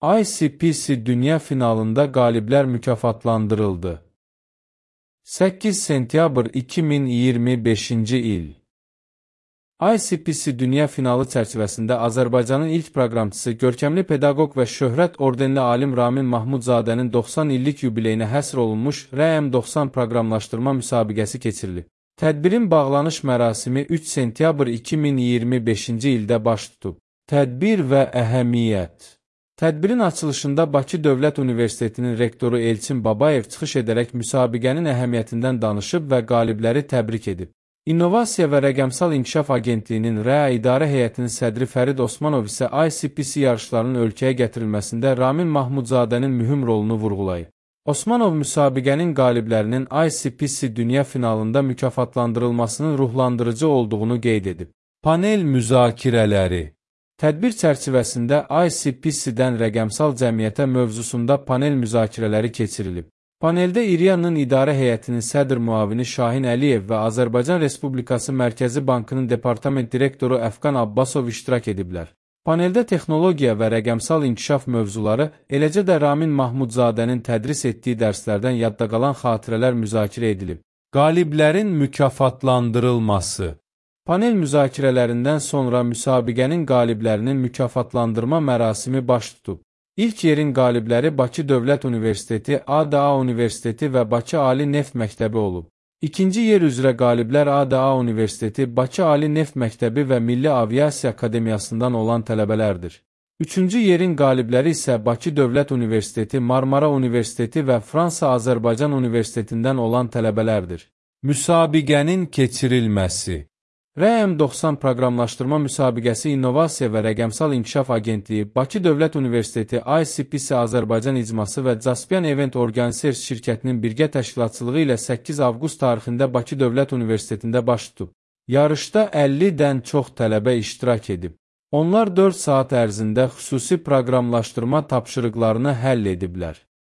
ICPC Dünya finalında qaliblər mükafatlandırıldı. 8 sentyabr 2025-ci il. ICPC Dünya finalı çərçivəsində Azərbaycanın ilk proqramçısı, görkəmli pedaqoq və şöhrət ordenli alim Ramin Mahmudzadənin 90 illik yubileyinə həsr olunmuş RM90 proqramlaşdırma müsabiqəsi keçirilib. Tədbirin bağlanış mərasimi 3 sentyabr 2025-ci ildə baş tutub. Tədbir və əhəmiyyət. Tədbirin açılışında Bakı Dövlət Universitetinin rektoru Elçin Babayev çıxış edərək müsabiqənin əhəmiyyətindən danışıb və qalibləri təbrik edib. İnnovasiya və Rəqəmsal İnkişaf Agentliyinin REA İdarə Heyətinin sədri Fərid Osmanov isə ICPC yarışlarının ölkəyə gətirilməsində Ramin Mahmudzadənin mühüm rolunu vurğulayıb. Osmanov müsabiqənin qaliblərinin ICPC Dünya finalında mükafatlandırılmasının ruhlandırıcı olduğunu qeyd edib. Panel müzakirələri. Tədbir çərçivəsində ICPC-dən rəqəmsal cəmiyyətə mövzusunda panel müzakirələri keçirilib. Paneldə İRIA-nın İdarə Heyətinin sədr müavini Şahin Əliyev və Azərbaycan Respublikası Mərkəzi Bankının Departament Direktoru Əfqan Abbasov iştirak ediblər. Paneldə texnologiya və rəqəmsal inkişaf mövzuları, eləcə də Ramin Mahmudzadənin tədris etdiyi dərslərdən yadda qalan xatirələr müzakirə edilib. Qaliblərin mükafatlandırılması. Panel müzakirələrindən sonra müsabiqənin qaliblərinin mükafatlandırma mərasimi baş tutub. İlk yerin qalibləri Bakı Dövlət Universiteti, ADA Universiteti və Bakı Ali Neft Məktəbi olub. İkinci yer üzrə qaliblər ADA Universiteti, Bakı Ali Neft Məktəbi və Milli Aviasiya Akademiyasından olan tələbələrdir. Üçüncü yerin qalibləri isə Bakı Dövlət Universiteti, Marmara Universiteti və Fransa-Azərbaycan Universitetindən olan tələbələrdir. Müsabiqənin keçirilməsi. RM90 proqramlaşdırma müsabiqəsi İnnovasiya və Rəqəmsal İnkişaf Agentliyi, Bakı Dövlət Universiteti, ICPC Azərbaycan İcması və Caspian Event Organizers şirkətinin birgə təşkilatçılığı ilə 8 avqust tarixində Bakı Dövlət Universitetində baş tutub. Yarışda 50-dən çox tələbə iştirak edib. Onlar 4 saat ərzində xüsusi proqramlaşdırma tapşırıqlarını həll ediblər.